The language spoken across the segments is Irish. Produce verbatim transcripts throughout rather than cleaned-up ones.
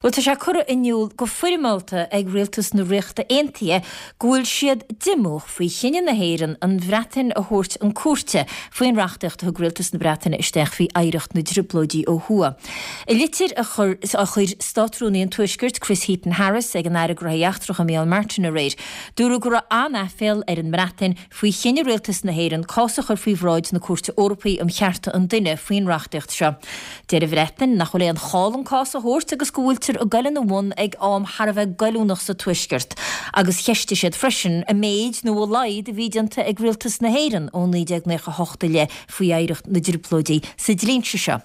Bhuel, tá sé curtha in iúl go foirmeálta ag Rialtas na Ríochta Aontaithe go bhfuil siad díomách faoi chinneadh na hÉireann an Bhreatain a thabhairt chun cúirte faoin reachtaíocht a thug Rialtas na Breataine isteach faoi oidhreacht na dTrioblóidí ó thuaidh. I litir a chuir a chuir Státrúnaí an Tuaiscirt Chris Heaton Harris ag an Aire Gnóthaí Eachtracha Micheál Martin aréir, dúradh go raibh an-aiféal ar an mBreatain faoi chinneadh Rialtas na hÉireann cás a chur faoi bhráid na Cúirte Eorpaí um Chearta an Duine faoin reachtaíocht seo. Deir an Bhreatain nach bhfuil aon chall an cás a thabhairt agus go bhfuiltear ag goil ina bhun ag am thar a bheith goilliúnach sa Tuaisceart, agus cheistigh siad freisin an méid nó a laghad a bhí déanta ag Rialtas na hÉireann ó naoi déag nócha a hocht i leith faoi oidhreacht na dTrioblóidí sa dlínse seo.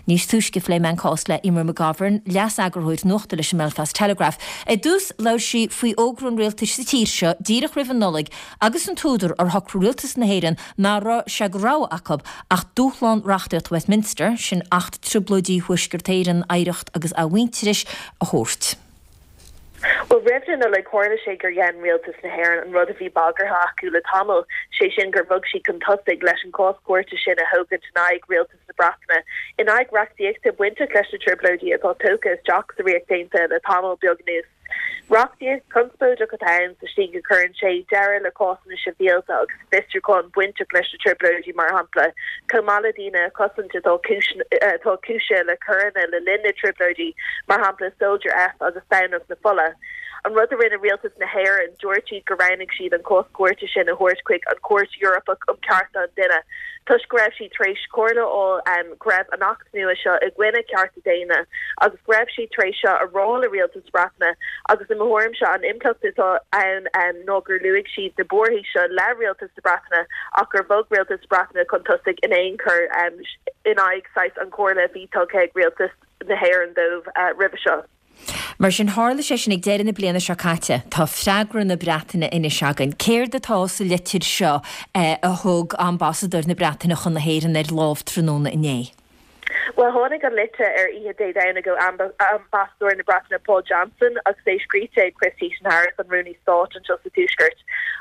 Níos túisce phléigh mé an cás le Eimear McGovern, leas-eagarthóir nuachta leis an mBelfast Telegraph. Ar dtús labhair sí faoi fhógra an rialtais sa tír seo díreach roimh an Nollaig agus an t-údar ar shocraigh Rialtas na hÉireann nach raibh sé de rogha acu ach dúshlán reachtaíocht Westminster, sin Acht Trioblóidí Thuaisceart Éireann, Oidhreacht agus Athmhuintearais, a thabhairt. Bhuel, roimh na Nollag tharla sé gur dhein Rialtas na hÉireann an rud a bhí bagartha acu le tamall, sé sin gur bhog siad chun tosaigh leis an cás cúirte sin a thógaint in aghaidh Rialtas na Breataine, in aghaidh reachtaíochta bainteach leis na Trioblóidí atá tógtha isteach sa Ríocht Aontaithe le tamall beag anuas. Reachtaíocht chonspóideach atá ann sa tslí go gcuireann sé deireadh le cásanna sibhialta agus fiosrúcháin bainteach leis na Trioblóidí, mar shampla, chomh maith le daoine a chosaint atá atá cúisithe le coireanna le linn na dTrioblóidí, mar shampla Soldier F agus Domhnach na Fola. An rud a rinne Rialtas na hÉireann, dúirt siad gur roghnaigh siad an cás cúirte sin a thabhairt chuig an Chúirt Eorpach um Chearta an Duine toisc go raibh siad tar éis comhairle a fháil go raibh an Acht nua seo i gcoinne cearta daonna agus go raibh siad tar éis seo a rá le Rialtas na Breataine agus i mo thuairimse an impleacht atá ann ná gur luaigh siad na buarthaí seo le Rialtas na Breataine ach gur bhog Rialtas na Breataine chun tosaigh in aon chor in aghaidh saghas an chomhairle a bhí tugtha ag Rialtas na hÉireann dóibh roimhe seo. Mar sin, tharla sé sin ag deireadh na bliana seo caite. Tá freagra na Breataine anois againn. Céard atá sa litir seo a thug ambasadóir na Breataine chun na hÉireann ar lámh tráthnóna inné? Bhuel, tháinig an litir ar oíche Dé Domhnaigh ó ambasadóir na Breataine Paul Johnson agus é scríte ag Chris Heaton-Harris, an Rúnaí Stáit anseo sa Tuaisceart.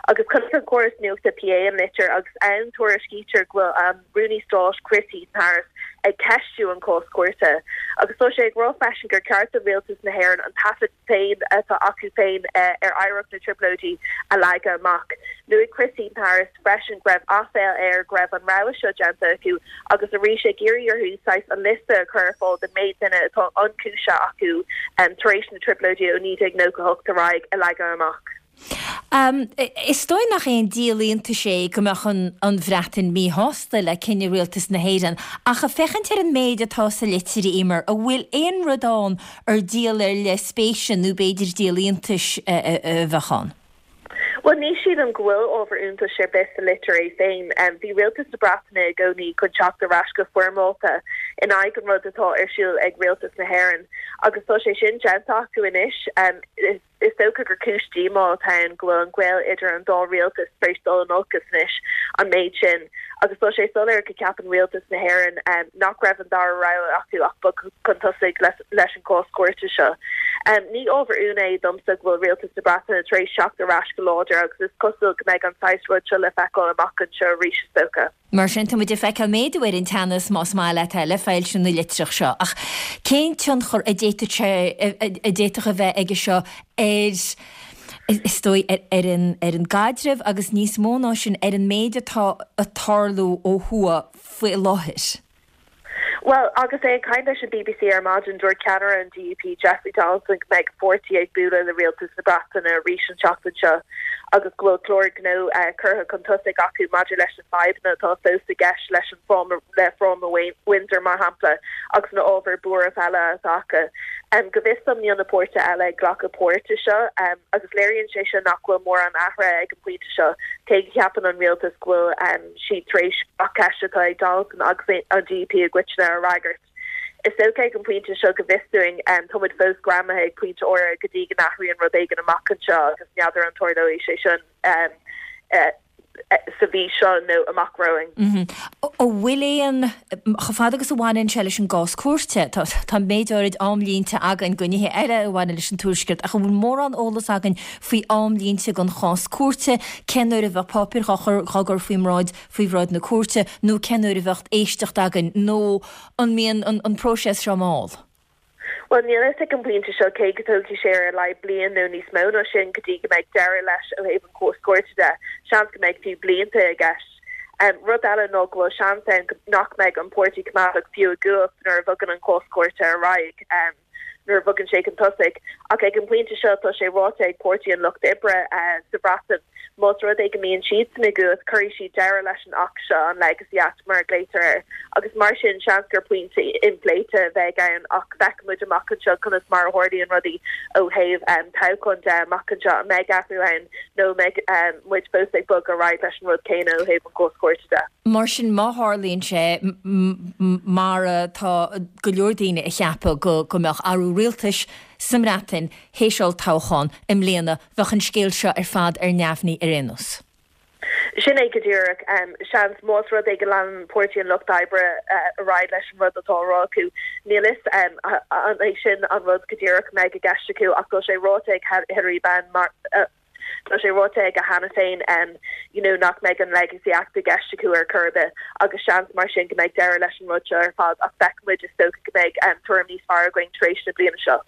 Agus chonaic an córas nuachta P A an litir agus ann tuairiscítear go bhfuil an Rúnaí Stáit Chris Heaton-Harris ag ceistiú an cás cúirte. Agus tá sé ag rá freisin gur ceart do Rialtas na hÉireann an taifead féin atá acu féin ar oidhreacht na dTrioblóidí a leagadh amach. Luaigh Chris Heaton-Harris freisin go raibh aiféal air go raibh an rogha seo déanta acu agus arís ag iarraidh orthu saghas an liosta a chur ar fáil den méid duine atá ionchúisithe acu tar éis na dTrioblóidí ó naoi déag nócha a hocht ar aghaidh a leagadh amach. Is dóigh nach aon díol iontais é go mbeadh an Bhreatain míshásta le cinneadh rialtas na hÉireann, ach ag féachaint ar an méid atá sa litir, a Eimear, an bhfuil aon rud ann ar díol ar leith spéise nó b'fhéidir díol iontais a bheadh ann? Bhuel, ní sílim go bhfuil ábhar iontais ar bith sa litir é féin. Bhí rialtas na Breataine i gcónaí chun teacht ar ais go foirmeálta in aghaidh an rud atá ar siúl ag rialtas na hÉireann agus tá sé sin déanta acu anois. Is dócha gur cúis díomá atá ann go bhfuil an gaol idir an dá rialtas tar éis dul in olcas anois an méid sin agus tá sé soiléir go gceapann rialtas na hÉireann nach raibh an dara rogha acu ach bogadh chun tosaigh leis an gcás cúirte seo. Ní ábhar ionadh é domsa go bhfuil rialtas na Breataine tar éis teacht ar ais go láidir agus is cosúil go mbeidh an saghas rud seo le feiceáil amach anseo arís is dócha. Mar sin, tá muid ag feiceáil méadú ar an teannas, más maith leat é, le foilsiú na litreach seo. Ach cén tionchar a d'fhéadfadh sé, a d'fhéadfadh a bheith aige seo ar, is dóigh, ar an, ar an gcaidreamh agus níos mó ná sin, ar an méid atá ag tarlú ó thuaidh faoi láthair? Bhuel, agus é ag caint leis an B B C ar maidin, dúirt ceannaire an D U P, Jeffrey Donaldson, go mbeidh a pháirtí ag bualadh le rialtas na Breataine arís an tseachtain seo agus go bhfuil clár gnó curtha chun tosaigh acu maidir leis na fadhbanna atá fós i gceist leis an fráma, le fráma Windsor, mar shampla, agus na ábhair buairimh eile atá acu. Go bhfios dom, níl na páirtithe eile ag glacadh páirte seo agus léiríonn sé seo nach bhfuil mórán athraithe ag an bpointe seo, cé go gceapann an rialtas go bhfuil siad tar éis gach ceist atá ag Donaldson agus an D U P i gcoitinne a fhreagairt. Is dócha ag an bpointe seo, go bhfios dúinn, tá muid fós greamaithe ag pointe áirithe go dtí go n-athraíonn rud éigin amach anseo agus n'fheadar an dtarlóidh sé sin sa mhí seo nó amach romhainn. An bhfuil aon, chomh fada agus a bhaineann sé leis an gcás cúirte, tá méid áirid amlínte againn do nithe eile a bhaineann leis an Tuaisceart, ach an bhfuil mórán eolas againn faoi amlínte don chás cúirte, cén uair a bheadh páipéir dhá chur dhá gcur faoi mbráid faoi bhráid na cúirte nó cén uair a bheadh éisteacht againn nó an mbíonn an an próiseas seo mall? Well níl fhios ag an bpointe seo cé go dtógfaidh sé ar a laghad bliain nó níos mó ná sin go dtí go mbeidh deireadh leis ó thaobh an cás cúirte de, seans go mbeidh fiú blianta i gceist. Um, rud eile ná go bhfuil seans ann nach mbeidh an Páirtí Coimeádach fiú i gcumhacht nuair a bhogann an cás cúirte ar aghaidh. Um, nuair a bhogann sé chun tosaigh ach ag an bpointe seo tá sé ráite ag Páirtí an Lucht Oibre uh, sa Bhreatain más rud é go mbíonn siad i gcumhacht cuirfidh siad deireadh leis an Acht seo an Legacy Act mar a ghlaotar air agus mar sin seans gur pointe inphléite a bheidh ann ach feicfimid amach anseo conas mar a tharlaíonn rudaí ó thaobh um, toghchán de amach anseo an mbeidh athrú ann nó mbeidh um, muid fós ag bogadh ar aghaidh leis an rud céanna ó thaobh an cás cúirte de. Mar sin má tharlaíonn sé mar tá go leor daoine ag ceapadh go go mbeadh athrú rialtais sa mBreatain théis toghchán i mbliana bheadh an scéal seo ar fad ar neamhní ar aon nós. Sin é go díreach um, seans más rud é go leanann Páirtí an Lucht Oibre uh, ar aghaidh leis an rud atá á rá acu. Níl fhios um, an é sin an rud go díreach a mbeidh i gceist acu ach tá sé ráite ag Hilary Benn mar uh, Tá sé ráite aige cheana féin um, you know, nach mbeidh an Legacy Act i gceist acu ar chor ar bith agus seans mar sin go mbeidh deireadh leis an rud seo ar fad ach feicfimid is dócha go mbeidh um, tuairim níos fearr againn tar éis na bliana seo.